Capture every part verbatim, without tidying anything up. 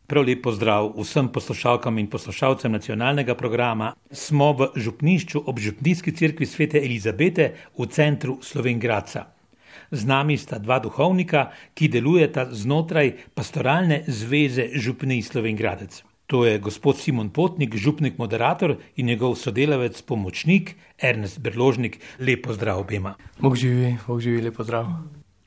Prav lep pozdrav vsem poslušalkam in poslušalcem nacionalnega programa. Smo v župnišču ob Župnijski cerkvi svete Elizabete v centru Slovenj Gradca. Z nami sta dva duhovnika, ki delujeta znotraj pastoralne zveze župnij Slovenj Gradec. To je gospod Simon Potnik, župnik moderator in njegov sodelavec pomočnik Ernest Berložnik. Lep pozdrav obema. Bog živi, Bog živi, lep pozdrav.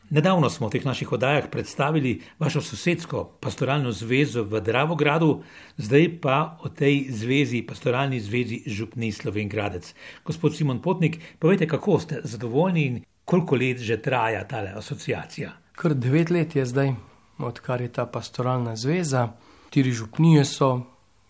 Nedavno smo v teh naših oddajah predstavili vašo sosedsko pastoralno zvezo v Dravogradu, zdaj pa o tej zvezi, pastoralni zvezi župnij Slovenj Gradec. Gospod Simon Potnik, povejte, kako ste zadovoljni in koliko let že traja tale asociacija? Kar devet let je zdaj, odkar je ta pastoralna zveza. Štiri župnije so,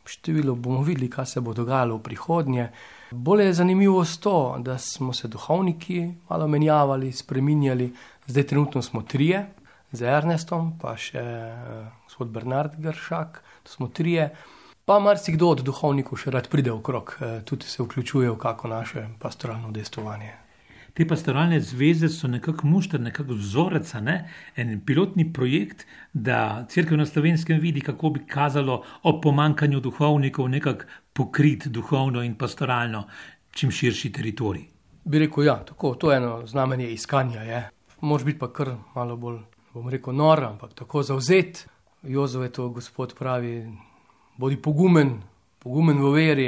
število bomo videli, kaj se bo dogajalo v prihodnje. Bolje je zanimivo to, da smo se duhovniki malo menjavali, spreminjali. Zdaj trenutno smo trije, z Ernestom, pa še uh, gospod Bernard Gršak, to smo trije. Pa marsikdo od duhovnikov še rad pride okrog, uh, tudi se vključuje v kako naše pastoralno udejstvovanje. Te pastoralne zveze so nekako mušter, nekako vzorec, ne? En pilotni projekt, da cerkev na Slovenskem vidi, kako bi kazalo o pomankanju duhovnikov nekako pokrit duhovno in pastoralno čim širši teritorij. Bi rekel, ja, tako, to je eno znamenje iskanja, je. Mož biti pa kar malo bolj, bom rekel, nor, ampak tako zavzet. Jozue to gospod pravi, bodi pogumen, pogumen v veri.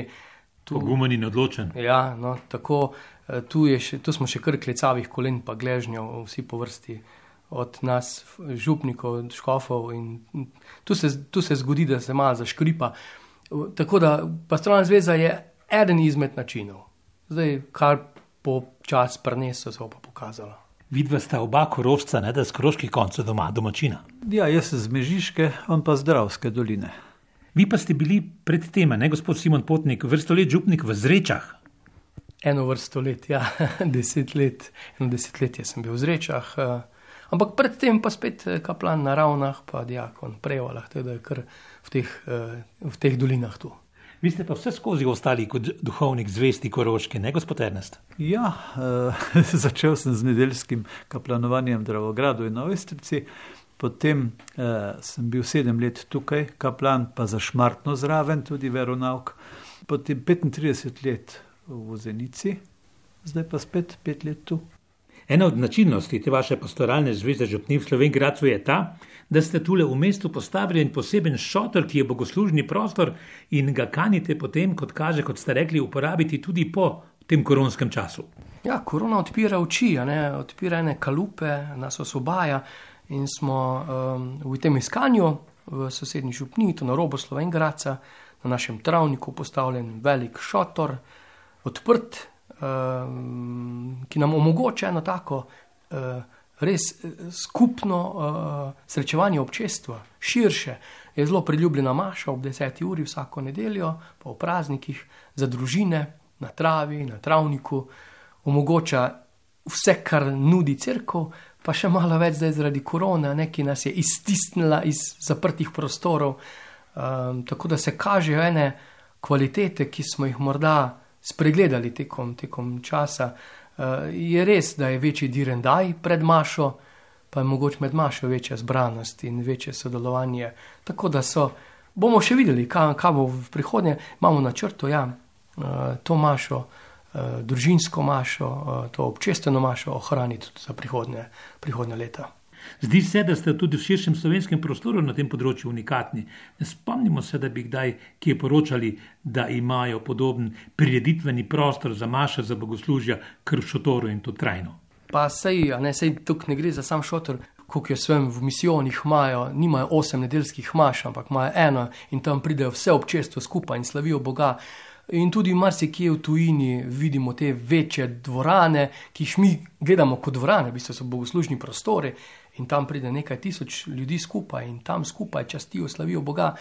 Tu, pogumen in odločen. Ja, no, tako, tu, je še, tu smo še kar klecavih kolen pa gležnjev, vsi po vrsti od nas, župnikov, škofov in tu se, tu se zgodi, da se malo zaškripa. Tako da pastoralna zveza je eden izmed načinov. Zdaj, kar po čas prinesel, se bo pa pokazalo. Vidva sta oba Korošca, ne, da z koroških koncev doma, domačina. Ja, jaz z Mežiške, on pa z Dravske doline. Vi pa ste bili pred tema, ne, gospod Simon Potnik, vrsto let župnik v Zrečah. Eno vrsto let, ja, deset let, eno desetletje sem bil v Zrečah, ampak predtem pa spet kaplan na Ravnah, pa diakon Prevalah, teda kar v teh, v teh dolinah tu. Vi ste pa vse skozi ostali kot duhovnik zvesti Koroške, ne, gospod Ernest? Ja, eh, začel sem z nedeljskim kaplanovanjem v Dravogradu in na Ojstrici, potem eh, sem bil sedem let tukaj, kaplan pa za Šmartno zraven, tudi veronauk, potem petintrideset let v Zenici, zdaj pa spet pet let tu. Ena od značilnosti te vaše pastoralne zveze župnij v Slovenj Gradcu je ta, da ste tule v mestu postavili en poseben šotor, ki je bogoslužni prostor in ga kanite potem, kot kaže, kot ste rekli, uporabiti tudi po tem koronskem času. Ja, korona odpira oči, ne? Odpira ene kalupe, nas osvobaja in smo um, v tem iskanju v sosednji župniji, to na robu Slovenj Gradca, na našem travniku postavljen velik šotor, odprt, um, ki nam omogoča eno tako uh, res skupno uh, srečevanje občestva, širše. Je zelo priljubljena maša ob deseti uri vsako nedeljo, pa v praznikih, za družine, na travi, na travniku. Omogoča vse, kar nudi cerkev, pa še malo več zdaj zaradi korone, ki nas je iztisnila iz zaprtih prostorov. Um, tako da se kažejo ene kvalitete, ki smo jih morda spregledali tekom, tekom časa. Uh, je res, da je večji direndaj pred mašo, pa je mogoče med mašo večja zbranost in večje sodelovanje. Tako da so, bomo še videli, kaj, kaj bo v prihodnje. Imamo na črtu, ja, uh, to mašo, uh, družinsko mašo, uh, to občestveno mašo ohraniti tudi za prihodnje, prihodnje leta. Zdi se, da ste tudi v širšem slovenskem prostoru na tem področju unikatni. Ne spomnimo se, da bi kdaj kje poročali, da imajo podoben prireditveni prostor za maše, za bogoslužja, kar v šotoru in to trajno. Pa sej, a ne, sej tukaj ne gre za sam šotor, koliko jaz vem, v misijonih imajo, nimajo osem nedeljskih maš, ampak imajo eno in tam pridejo vse občestvo skupaj in slavijo Boga. In tudi marsikje v tujini vidimo te večje dvorane, ki jih mi gledamo kot dvorane, v bistvu so bogoslužni prostori in tam pride nekaj tisoč ljudi skupaj in tam skupaj častijo, slavijo Boga,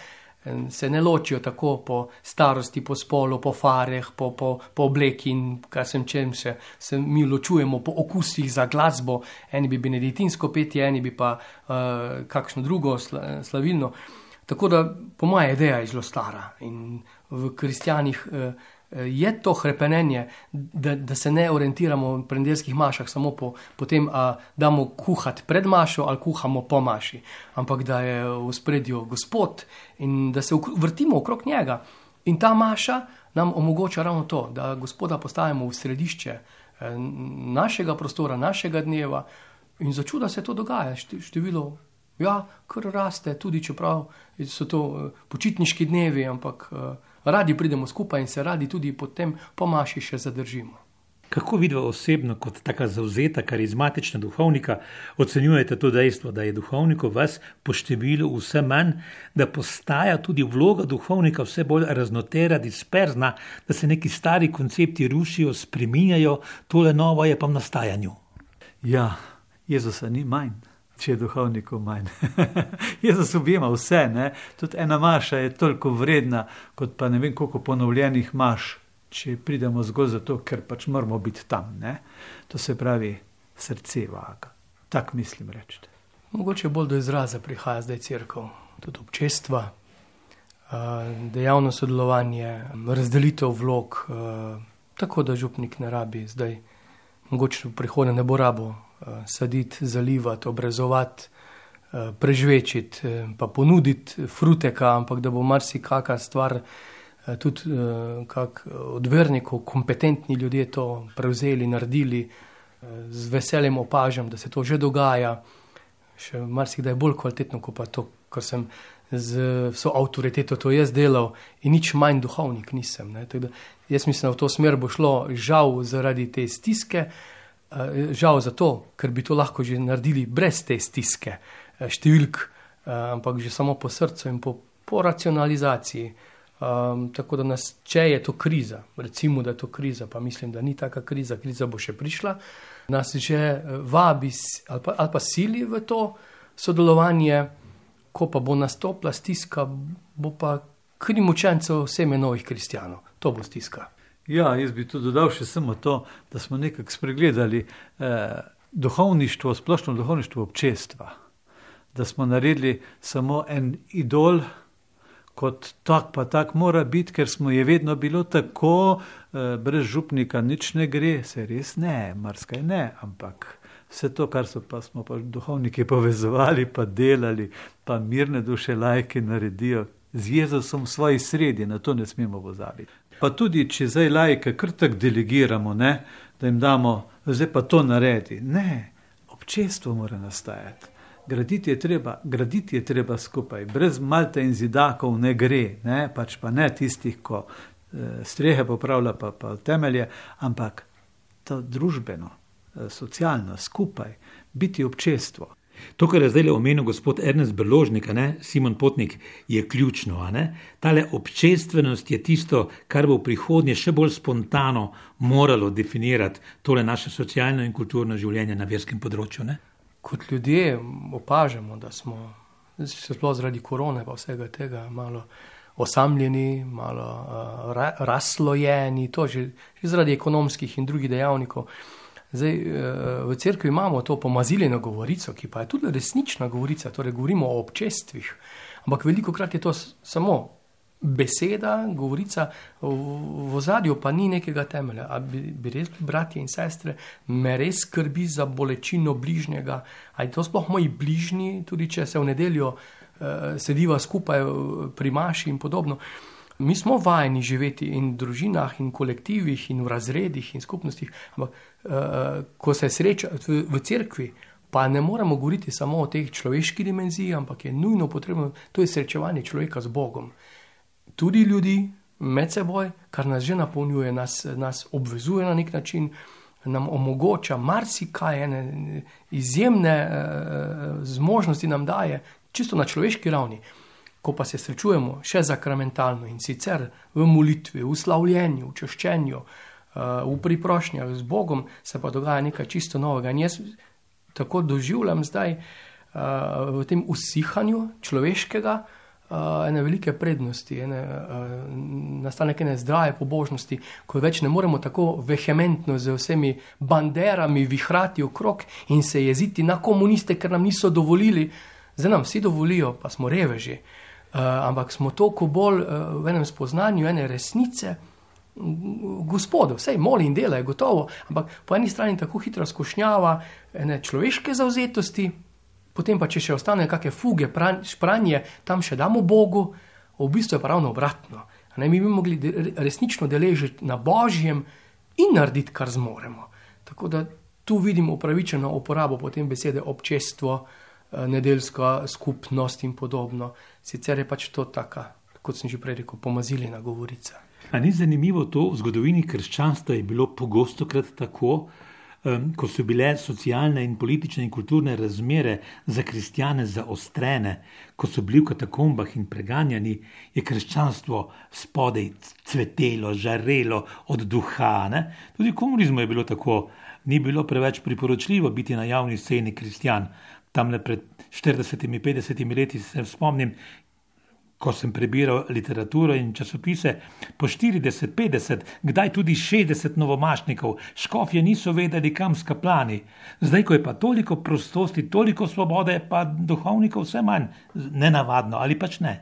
se ne ločijo tako po starosti, po spolu, po fareh, po, po, po obleki in kar sem čem se, se mi ločujemo po okusih za glasbo, eni bi benediktinsko petje, eni bi pa uh, kakšno drugo sla, slavilno. Tako da, po moja ideja je zelo stara in v kristjanih eh, je to hrepenenje, da, da se ne orientiramo v nedeljskih mašah samo po, po tem, a damo kuhati pred mašo ali kuhamo po maši, ampak da je v spredju Gospod in da se vrtimo okrog njega. In ta maša nam omogoča ravno to, da Gospoda postavimo v središče našega prostora, našega dneva in za čuda se to dogaja. Število, ja, kar raste, tudi čeprav so to počitniški dnevi, ampak radi pridemo skupaj in se radi tudi potem po maši še zadržimo. Kako vidva osebno kot taka zavzeta, karizmatična duhovnika ocenjujete to dejstvo, da je duhovnikov vas po številu vse manj, da postaja tudi vloga duhovnika vse bolj raznotera, disperzna, da se neki stari koncepti rušijo, spreminjajo, tole novo je pa v nastajanju? Ja, Jezusa ni manj, če je duhovnikov manj. Jezus objema vse, ne? Tudi ena maša je toliko vredna, kot pa ne vem koliko ponovljenih maš, če pridemo zgolj zato, ker pač moramo biti tam, ne? To se pravi srce vaga. Tak mislim reči. Mogoče bolj do izraza prihaja zdaj cerkev, tudi občestva, dejavno sodelovanje, razdelitev vlog, tako da župnik ne rabi zdaj, mogoče v prihodnje ne bo rabo saditi, zalivati, obrezovati, prežvečiti, pa ponuditi fruteka, ampak da bo marsikaka stvar, tudi kak od vernikov, kompetentni ljudje to prevzeli, naredili, z veseljem opažam, da se to že dogaja, še marsikdaj bolj kvalitetno, kot pa to, kar sem z vso avtoriteto to jaz delal in nič manj duhovnik nisem. Ne. Tako da jaz mislim, da v to smer bo šlo žal zaradi te stiske, žal zato, ker bi to lahko že naredili brez te stiske, številk, ampak že samo po srcu in po, po racionalizaciji. Um, tako da nas, če je to kriza, recimo, da je to kriza, pa mislim, da ni taka kriza, kriza bo še prišla, nas že vabi ali pa, ali pa sili v to sodelovanje, ko pa bo nastopila stiska, bo pa kri mučencev seme novih kristjanov. To bo stiska. Ja, jaz bi tu dodal še samo to, da smo nekako spregledali eh, duhovništvo, splošno duhovništvo občestva. Da smo naredili samo en idol, kot tak pa tak mora biti, ker smo je vedno bilo tako, eh, brez župnika nič ne gre, se res ne, marsikaj ne, ampak vse to, kar so pa, smo pa duhovniki povezovali, pa delali, pa mirne duše lajke naredijo z Jezusom v svoji sredi, na to ne smemo pozabiti. Pa tudi, če zdaj lajke kar tak delegiramo, ne, da jim damo, zdaj pa to naredi. Ne, občestvo mora nastajati. Graditi je treba, graditi je treba skupaj, brez Malte in zidakov ne gre, ne? Pač pa ne tistih, ko e, strehe popravlja pa, pa temelje, ampak to družbeno, e, socialno, skupaj, biti občestvo. To, kar je zdaj omenil gospod Ernest Brložnik, ne? Simon Potnik, je ključno. A ne? Tale občestvenost je tisto, kar bo v prihodnje še bolj spontano moralo definirati tole naše socialno in kulturno življenje na verskem področju, ne? Kot ljudje opažamo, da smo, sploh zaradi korone pa vsega tega, malo osamljeni, malo uh, ra, razslojeni, to že, že zaradi ekonomskih in drugih dejavnikov. Zdaj, uh, v cerkvi imamo to pomaziljeno govorico, ki pa je tudi resnična govorica, torej govorimo o občestvih, ampak veliko krat je to samo beseda, govorica, v, v ozadju pa ni nekega temelja. A bi, bi res bili bratje in sestre, me res skrbi za bolečino bližnjega, a je to sploh moji bližnji, tudi če se v nedeljo uh, sediva skupaj pri maši in podobno. Mi smo vajeni živeti in v družinah in kolektivih in v razredih in skupnostih, ampak uh, ko se sreča v, v cerkvi, pa ne moremo govoriti samo o tej človeški dimenziji, ampak je nujno potrebno, to je srečevanje človeka z Bogom. Tudi ljudi med seboj, kar nas že napolnjuje, nas, nas obvezuje na nek način, nam omogoča marsikaj, ene izjemne uh, zmožnosti nam daje, čisto na človeški ravni. Ko pa se srečujemo še zakramentalno in sicer v molitvi, v slavljenju, v čaščenju, uh, v priprošnjah z Bogom, se pa dogaja nekaj čisto novega. In jaz tako doživljam zdaj uh, v tem usihanju človeškega, Uh, ene velike prednosti, ene, uh, nastanek ene zdrave pobožnosti, ko več ne moremo tako vehementno z vsemi banderami vihrati okrog in se jeziti na komuniste, ker nam niso dovolili. Zdaj nam vsi dovolijo, pa smo reveži. Uh, ampak smo toliko bolj uh, v enem spoznanju ene resnice, gospodu, vsej moli in dela je gotovo, ampak po eni strani tako hitra skušnjava ene človeške zavzetosti, potem pa če še ostane kakšne fuge, špranje, tam še damo Bogu, v bistvu je pa ravno obratno. Ne, mi bi mogli resnično deležiti na Božjem in narediti, kar zmoremo. Tako da tu vidim upravičeno uporabo potem besede občestvo, nedeljska skupnost in podobno. Sicer je pač to taka, kot sem že prej rekel, pomazilina govorica. A ni zanimivo to, v zgodovini krščanstva je bilo pogostokrat tako, um, ko so bile socialne in politične in kulturne razmere za kristjane zaostrene, ko so bili v katakombah in preganjani, je krščanstvo spodaj cvetelo, žarelo od duha. Ne? Tudi v komunizmu je bilo tako, ni bilo preveč priporočljivo biti na javni sceni kristjan. Tamle pred štiridesetimi, petdesetimi leti se spomnim, ko sem prebiral literaturo in časopise, po štirideset, petdeset, kdaj tudi šestdeset novomašnikov, škofje niso vedeli, kam s kaplani. Zdaj, ko je pa toliko prostosti, toliko svobode, pa duhovnikov vse manj. Nenavadno, ali pač ne?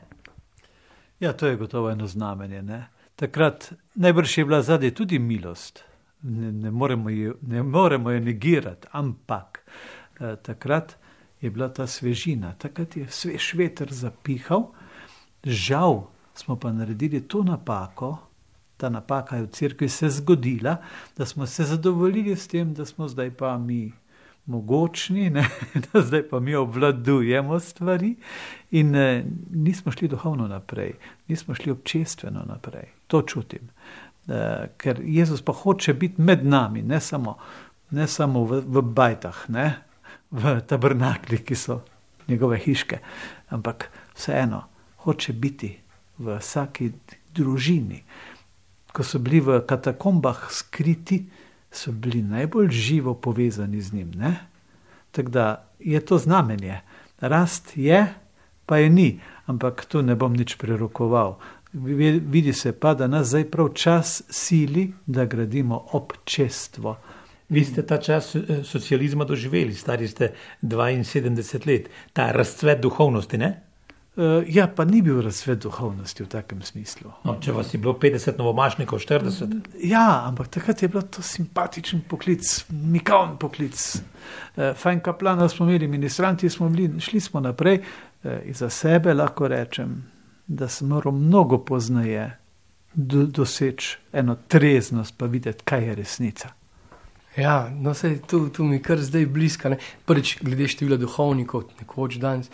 Ja, to je gotovo eno znamenje. Ne? Takrat najbrž je bila zadaj tudi milost. Ne, ne, moremo jo, ne moremo jo negirati, ampak eh, takrat je bila ta svežina. Takrat je svež veter zapihal. Žal smo pa naredili to napako, ta napaka je v cerkvi se zgodila, da smo se zadovoljili s tem, da smo zdaj pa mi mogočni, ne? Da zdaj pa mi obvladujemo stvari in eh, nismo šli duhovno naprej, nismo šli občestveno naprej. To čutim, eh, ker Jezus pa hoče biti med nami, ne samo, ne samo v, v bajtah, ne? V tabernaklih, ki so njegove hiške, ampak vseeno, hoče biti v vsaki družini. Ko so bili v katakombah skriti, so bili najbolj živo povezani z njim. Ne? Tako da je to znamenje. Rast je, pa je ni, ampak tu ne bom nič prerokoval. Vidi se pa, da nas zdaj prav čas sili, da gradimo občestvo. Vi ste ta čas socializma doživeli, stari ste dvainsedemdeset let, ta razcvet duhovnosti, ne? Uh, ja, pa ni bil razcvet duhovnosti v takem smislu. No, če vas je bilo petdeset novomašnikov, štirideset? Ja, ampak takrat je bil to simpatičen poklic, mikavn poklic. Uh, fajn kaplana smo imeli, ministranti smo bili, šli smo naprej. Uh, in za sebe lahko rečem, da sem moral mnogo poznaje do, doseči eno treznost, pa videti, kaj je resnica. Ja, no sej, tu, tu mi kar zdaj bliska. Ne? Prvič, glede števila duhovnikov, nekoč danes,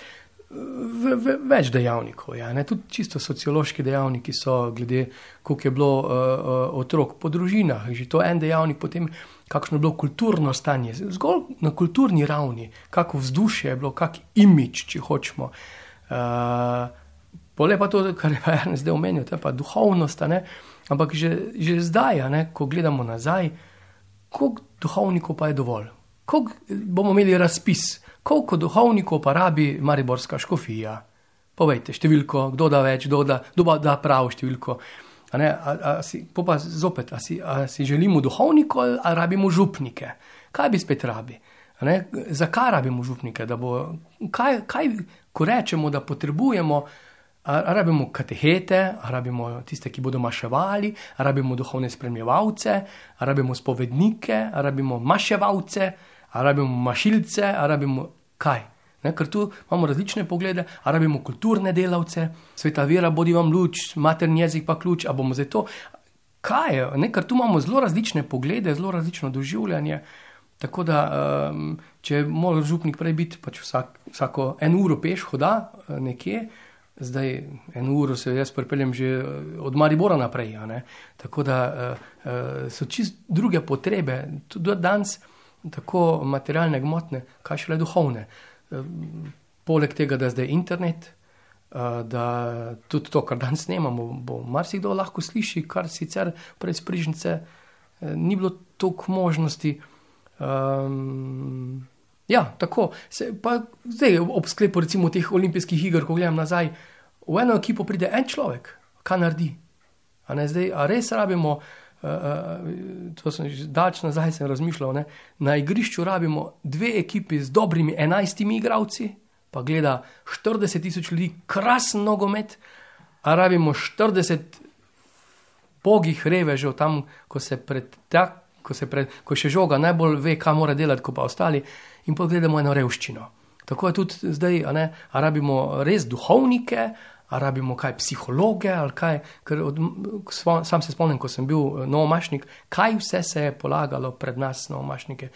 v, v, več dejavnikov. Ja, ne? Tudi čisto sociološki dejavniki so, glede, koliko je bilo uh, uh, otrok po družinah. Že to en dejavnik, potem kakšno je bilo kulturno stanje. Zgolj na kulturni ravni, kako vzdušje je bilo, kak imič, če hočemo. Uh, Pole pa to, kar je pa Ernest zdaj omenil, to je pa duhovnost, ne? Ampak že, že zdaj, ne? Ko gledamo nazaj, koliko duhovnikov pa je dovolj? Koliko bomo imeli razpis? Koliko duhovnikov pa rabi mariborska škofija? Povejte, številko, kdo da več, kdo da, kdo da prav številko. A ne, a, a si, pa zopet, a si, a si želimo duhovnikov ali a rabimo župnike? Kaj bi spet rabi? A ne, zakaj rabimo župnike? Da bo, kaj, kaj, ko rečemo, da potrebujemo, a, a rabimo katehete, a rabimo tiste, ki bodo maševali, a rabimo duhovne spremljevalce, a rabimo spovednike, a rabimo maševalce, a rabimo mašilce, a rabimo kaj? Ne, ker tu imamo različne poglede, a rabimo kulturne delavce, sveta vera, bodi vam luč, materni jezik pa ključ, a bomo zdaj to. Kaj je? Ne, ker tu imamo zelo različne poglede, zelo različno doživljanje, tako da, um, če mora župnik prej biti, pač vsak, vsako en uro peš hoda nekje, zdaj en uro se jaz pripeljem že od Maribora naprej, a ne? Tako da uh, uh, so čist druge potrebe, tudi danes, tako materialne, gmotne, kaj šele duhovne. Poleg tega, da zdaj internet, da tudi to, kar danes snemamo, bo marsikdo lahko sliši, kar sicer pred sprižnice ni bilo toliko možnosti. Um, ja, tako. Se, pa zdaj ob sklepu recimo teh olimpijskih iger, ko gledam nazaj, v eno ekipo pride en človek, kaj naredi. A ne zdaj, a res rabimo, Uh, uh, to sem že dalč nazaj sem razmišljal, ne? Na igrišču rabimo dve ekipi z dobrimi enajstimi igralci, pa gleda štirideset tisoč ljudi, krasen nogomet, a rabimo štirideset pogih revežev tam, ko se pred tak, ko se pred, ko še žoga najbolj ve, kaj mora delati, ko pa ostali, in pogledamo eno revščino. Tako je tudi zdaj, a ne, a rabimo res duhovnike, a rabimo kaj psihologe, ali kaj, ker od, sam se spomnim, ko sem bil novomašnik, kaj vse se je polagalo pred nas novomašnike,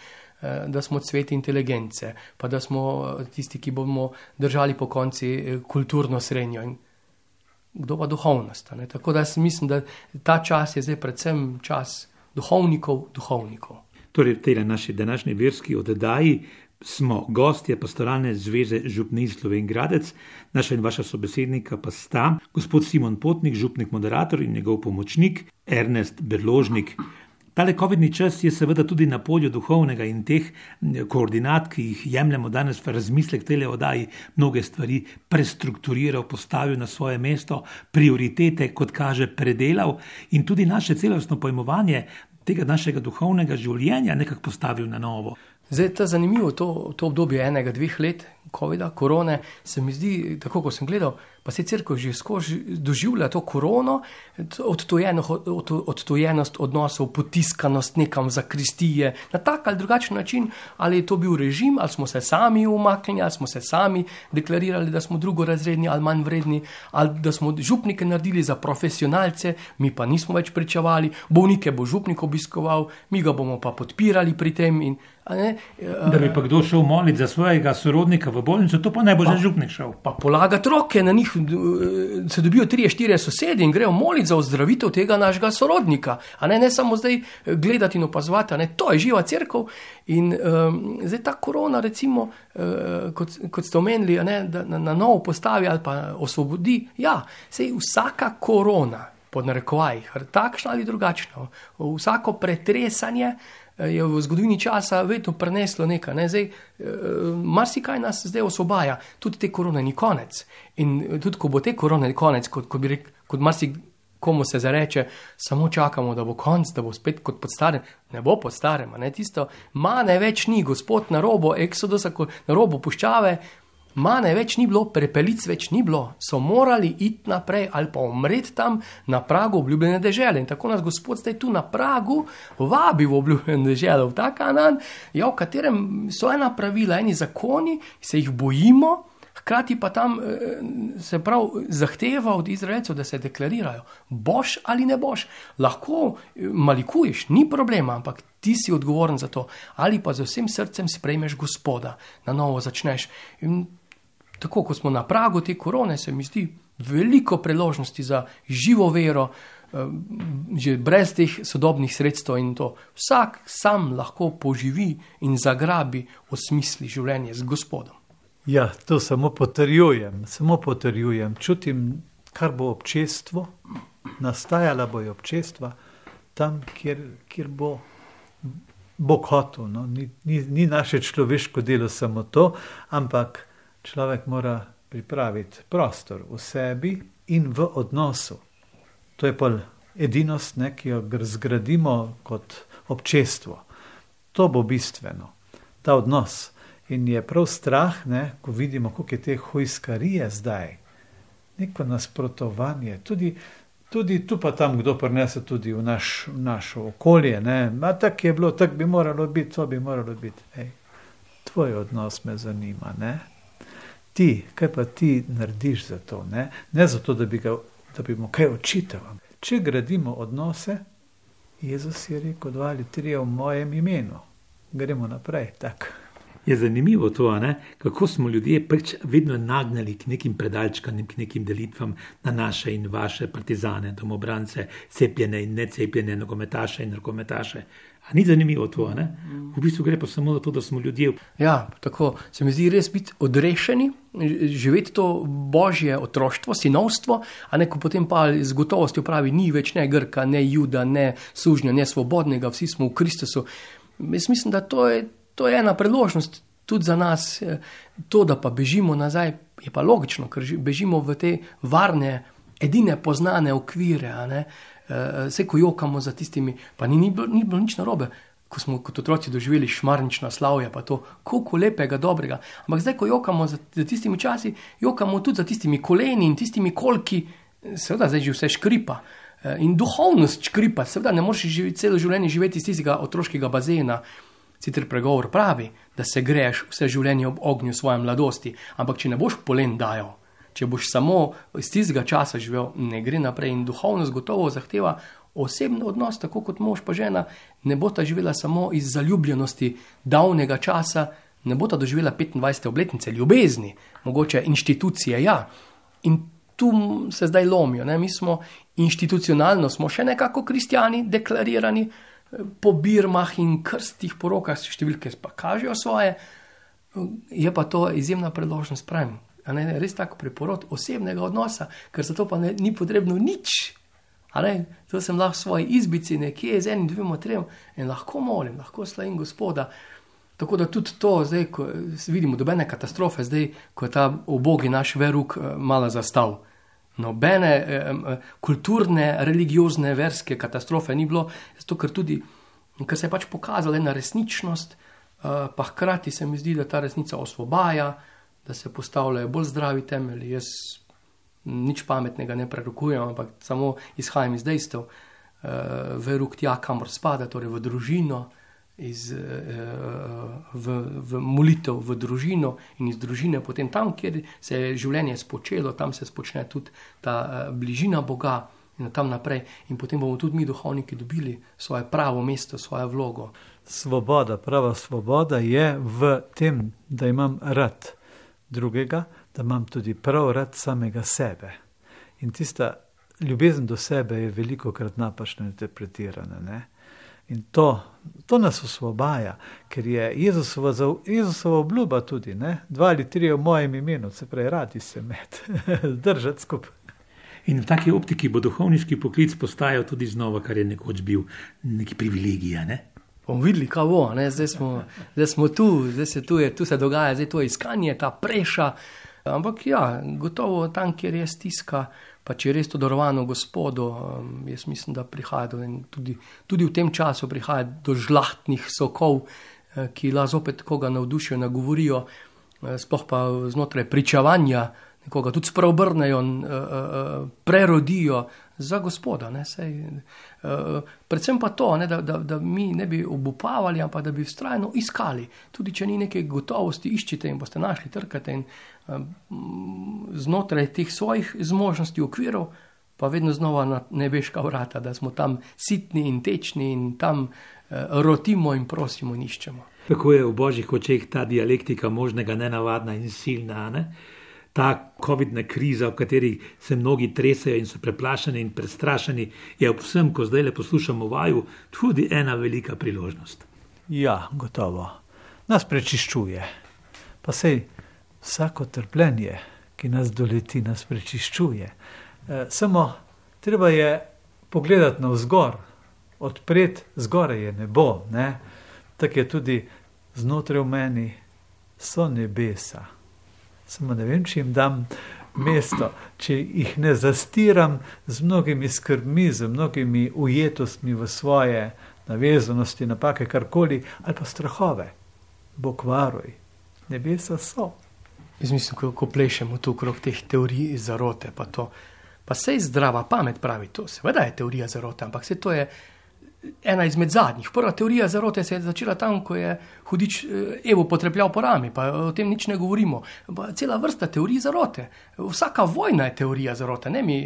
da smo cvet inteligence, pa da smo tisti, ki bomo držali po konci kulturno srednjo in kdo pa duhovnost. Ne? Tako da mislim, da ta čas je zdaj predvsem čas duhovnikov, duhovnikov. Torej, v tej naši današnji verski oddaji smo gostje Pastoralne zveze župnij Slovenj Gradec, naša in vaša sobesednika pa sta gospod Simon Potnik, župnik moderator in njegov pomočnik Ernest Berložnik. Tale covidni čas je seveda tudi na polju duhovnega in teh koordinat, ki jih jemljemo danes v razmislek tele oddaji, mnoge stvari prestrukturiral, postavil na svoje mesto, prioritete, kot kaže, predelal in tudi naše celostno pojmovanje tega našega duhovnega življenja nekako postavil na novo. Zdaj, ta zanimivo, to, to obdobje enega, dveh let covida, korone, se mi zdi, tako ko sem gledal, pa se cerkev že skozi doživlja to korono, odtujenost odnosov, potiskanost nekam v zakristije, na tak ali drugačen način, ali je to bil režim, ali smo se sami umaknili, ali smo se sami deklarirali, da smo drugorazredni ali manj vredni, ali da smo župnike naredili za profesionalce, mi pa nismo več pričevali, bolnike bo župnik obiskoval, mi ga bomo pa podpirali pri tem in Ne, da bi pa kdo šel moliti za svojega sorodnika v bolnico, to pa ne bo že župnik šel. Pa polagati roke na njih, se dobijo trije, štirje sosedi in grejo moliti za ozdravitev tega našega sorodnika. A ne, ne samo zdaj gledati in opazovati, ne, to je živa cerkev. In um, zdaj ta korona, recimo, uh, kot, kot ste omenili, ne, da na, na novo postavi ali pa osvobodi, ja, sej vsaka korona, pod narekovajih, takšna ali drugačna, vsako pretresanje je v zgodovini časa vedno preneslo nekaj. Ne? Zdaj, marsikaj nas zdaj osvobaja, tudi te korone ni konec. In tudi, ko bo te korone konec, kot, kot, bi rekel, kot marsikomu se zareče, samo čakamo, da bo konc, da bo spet kot pod starem. Ne bo pod starem, ne? Tisto mane več ni, Gospod na robo Eksodusa, na robo puščave, mane več ni bilo, prepelic več ni bilo, so morali iti naprej ali pa umreti tam na pragu obljubljene dežele. In tako nas Gospod zdaj tu na pragu vabi v obljubljene dežele, v ta Kanaan, ja, v katerem so ena pravila, eni zakoni, se jih bojimo, hkrati pa tam se prav zahteva od Izraelcev, da se deklarirajo, boš ali ne boš, lahko malikuješ, ni problema, ampak ti si odgovoren za to, ali pa z vsem srcem sprejmeš Gospoda, na novo začneš. In tako, ko smo na pragu te korone, se mi zdi veliko priložnosti za živo vero, že brez teh sodobnih sredstev in to. Vsak sam lahko poživi in zagrabi, osmisli življenje z Gospodom. Ja, to samo potrjujem, samo potrjujem. Čutim, kar bo občestvo, nastajala bo je občestva tam, kjer, kjer bo Bog hotel. No? Ni, ni, ni naše človeško delo samo to, ampak človek mora pripraviti prostor v sebi in v odnosu. To je pa edinost, ne, ki jo zgradimo kot občestvo. To bo bistveno, ta odnos. In je prav strah, ne, ko vidimo, koliko je te hujskarije zdaj, neko nasprotovanje, tudi, tudi tu pa tam kdo prinese tudi v naš, v našo okolje. Ne. A tak je bilo, tak bi moralo biti, to bi moralo biti. Ej, tvoj odnos me zanima, ne. Ti, kaj pa ti narediš za to? Ne, ne zato, da bi, ga, da bi mu kaj očital. Če gradimo odnose, Jezus je rekel, dva ali trije v mojem imenu. Gremo naprej, tak. Je zanimivo to, ne? Kako smo ljudje pač vedno nagnali k nekim predalčkanjem, k nekim delitvam na naše in vaše partizane, domobrance, cepljene in necepljene, nogometaše in nogometaše. A ni zanimivo to, ne? V bistvu gre pa samo za to, da smo ljudje. Ja, tako se mi zdi res biti odrešeni, živeti to božje otroštvo, sinovstvo, a ne, ko potem pa z gotovostjo pravi, ni več ne Grka, ne Juda, ne sužnja, ne svobodnega, vsi smo v Kristusu. Jaz mislim, da to je To je ena priložnost tudi za nas, to, da pa bežimo nazaj, je pa logično, ker bežimo v te varne, edine poznane okvire, a ne, vse ko jokamo za tistimi, pa ni, ni, bilo, ni bilo nič narobe, ko smo kot otroci doživeli šmarnična slavja, pa to, koliko lepega, dobrega, ampak zdaj, ko jokamo za, za tistimi časi, jokamo tudi za tistimi koleni in tistimi kolki, seveda zdaj že vse škripa, In duhovnost škripa, seveda ne moreš živeti, celo življenje živeti iz tistega otroškega bazena. Sicer pregovor pravi, da se greš vse življenje ob ognju svoje mladosti, ampak če ne boš polen dajal, če boš samo iz tistega časa živel, ne gre naprej. In duhovnost gotovo zahteva osebni odnos, tako kot mož pa žena, ne bo ta živela samo iz zaljubljenosti davnega časa, ne bo ta doživela petindvajsete obletnice ljubezni, mogoče inštitucije, ja. In tu se zdaj lomijo, ne? Mi smo inštitucionalno, smo še nekako kristjani, deklarirani, po birmah in krstih porokah številke pa kažejo svoje, je pa to izjemna priložnost, pravim, a ne, res tako preporod osebnega odnosa, ker za to pa ne, ni potrebno nič, a ne, to sem lahko v svoji izbici nekje z enim, dvema, trem in lahko molim, lahko slavim Gospoda. Tako da tudi to, zdaj, ko vidimo dobene katastrofe, zdaj, ko je ta ubogi naš veruk malo zastal. Nobene eh, kulturne, religiozne, verske katastrofe ni bilo, zato ker tudi, ker se je pač pokazala ena resničnost, eh, pa hkrati se mi zdi, da ta resnica osvobaja, da se postavljajo bolj zdravi temelji. Jaz nič pametnega ne prerokujem, ampak samo izhajam iz dejstev. Eh, veruk tja, kamor spada, torej v družino, iz, v, v molitev v družino in iz družine potem tam, kjer se je življenje spočelo, tam se spočne tudi ta bližina Boga in tam naprej. In potem bomo tudi mi duhovniki dobili svoje pravo mesto, svojo vlogo. Svoboda, prava svoboda je v tem, da imam rad drugega, da imam tudi prav rad samega sebe. In tista ljubezen do sebe je velikokrat napačno interpretirana, ne? In to, to nas osvobaja, ker je Jezusova, Jezusova obljuba tudi, ne? Dva ali tri v mojem imenu, se pravi, radi se med, držati skupaj. In v taki optiki bo duhovniški poklic postajal tudi znova, kar je nekoč bil neki privilegija, ne? Bomo videli, kaj bo, ne? Zdaj smo, zdaj smo tu, zdaj se tu, je, tu se dogaja, zdaj to iskanje, ta preša, ampak ja, gotovo tam, kjer je stiska, pa če je res to darovano Gospodu, jaz mislim, da prihaja do, tudi, tudi v tem času prihaja do žlahtnih sokov, ki lahko zopet koga navdušijo, nagovorijo, sploh pa znotraj pričevanja, nekoga tudi spreobrnejo, prerodijo za Gospoda. Ne, sej, predvsem pa to, ne, da, da, da mi ne bi obupavali, ampak da bi vztrajno iskali. Tudi če ni neke gotovosti, iščite in boste našli, trkate in znotraj teh svojih zmožnosti, okvirov, pa vedno znova na nebeška vrata, da smo tam sitni in tečni in tam rotimo in prosimo in iščemo. Kako je v božjih očeh ta dialektika možnega nenavadna in silna, ne? Ta covidna kriza, v kateri se mnogi tresajo in so preplašeni in prestrašeni, je ob vsem, ko zdaj le poslušamo vaju, tudi ena velika priložnost. Ja, gotovo. Nas prečiščuje. Pa sej vsako trpljenje, ki nas doleti, nas prečiščuje. E, samo treba je pogledati navzgor, odpreti, zgoraj je nebo, ne? Tako je tudi znotraj v meni so nebesa. Samo ne vem, če jim dam mesto, če jih ne zastiram z mnogimi skrbmi, z mnogimi ujetostmi v svoje navezanosti, napake, karkoli, ali pa strahove. Bog varuj, nebesa so. Jaz mislim, ko, ko plešemo tu okrog teh teorij zarote, pa to, pa sej zdrava pamet pravi to, seveda je teorija zarote, ampak se to je ena izmed zadnjih. Prva teorija zarote se je začela tam, ko je hudič Evo potrepljal po rami, pa o tem nič ne govorimo. Pa cela vrsta teorij zarote. Vsaka vojna je teorija zarote, ne mi,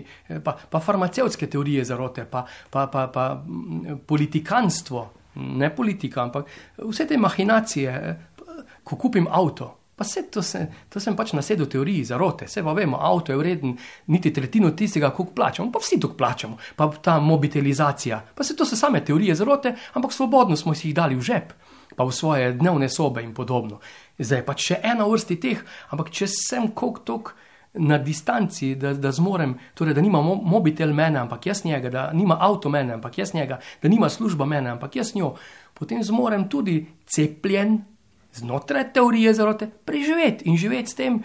pa, pa farmacevtske teorije zarote, pa, pa, pa, pa politikanstvo, ne politika, ampak vse te mahinacije, ko kupim avto, pa vse to, se, to sem pač nasedel teoriji zarote, vse pa vemo, avto je vreden niti tretjino tistega, koliko plačamo, pa vsi toliko plačamo, pa ta mobitelizacija, pa vse to so same teorije zarote, ampak svobodno smo si jih dali v žep, pa v svoje dnevne sobe in podobno. Zdaj je pač še ena vrsti teh, ampak če sem koliko toliko na distanci, da, da zmorem, torej da nima mobitel mene, ampak jaz njega, da nima avto mene, ampak jaz njega, da nima služba mene, ampak jaz njo, potem zmorem tudi cepljen, znotraj teorije zarote, preživeti in živeti s tem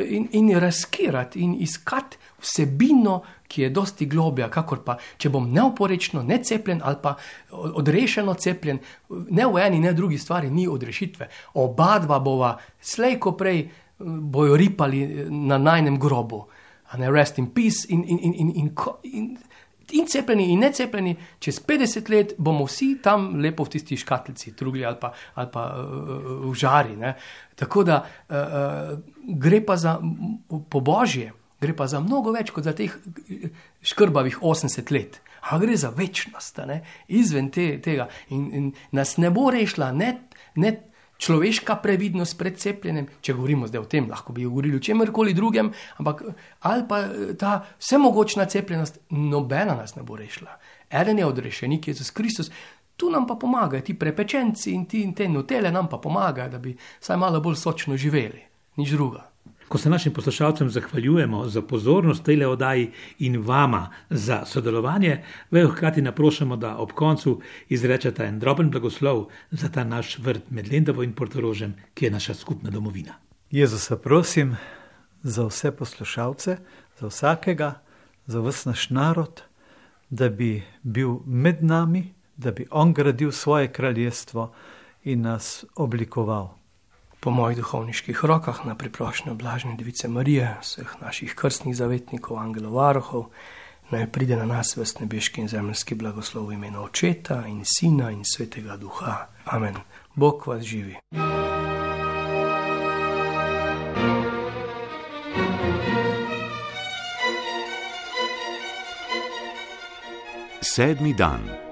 in, in razkirati in iskati vsebino, ki je dosti globja, kakor pa, če bom neoporečno, necepljen ali pa odrešeno cepljen, ne v eni, ne v drugi stvari ni odrešitve. Oba dva bova slejko prej bojo ripali na najnem grobu. A ne, rest in peace in, in, in, in, in, in In cepljeni in necepljeni, čez petdeset let bomo vsi tam lepo v tisti škatlici trugli ali pa, ali pa uh, v žari. Ne? Tako da uh, uh, gre pa za po Božje, gre pa za mnogo več kot za teh škrbavih osemdeset let. A gre za večnost, ne? Izven te, tega. In, in nas ne bo rešila ne, ne človeška previdnost pred cepljenjem, če govorimo zdaj o tem, lahko bi govorili o čemerkoli drugem, ampak ali pa ta vsemogočna cepljenost, nobena nas ne bo rešila. Eden je odrešenik, Jezus Kristus, tu nam pa pomagajo, ti prepečenci in ti in te notele nam pa pomagajo, da bi saj malo bolj sočno živeli, nič druga. Ko se našim poslušalcem zahvaljujemo za pozornost tejle oddaji in vama za sodelovanje, vejo hkrati naprošamo, da ob koncu izrečete en droben blagoslov za ta naš vrt med Lendavo in Portorožem, ki je naša skupna domovina. Jezusa prosim za vse poslušalce, za vsakega, za ves naš narod, da bi bil med nami, da bi on gradil svoje kraljestvo in nas oblikoval. Po mojih duhovniških rokah na priprošnjo blažene Device Marije, vseh naših krstnih zavetnikov, angelov varuhov, naj pride na nas ves nebeški in zemeljski blagoslov v imenu Očeta in Sina in Svetega Duha. Amen. Bog vas živi. Sedmi dan.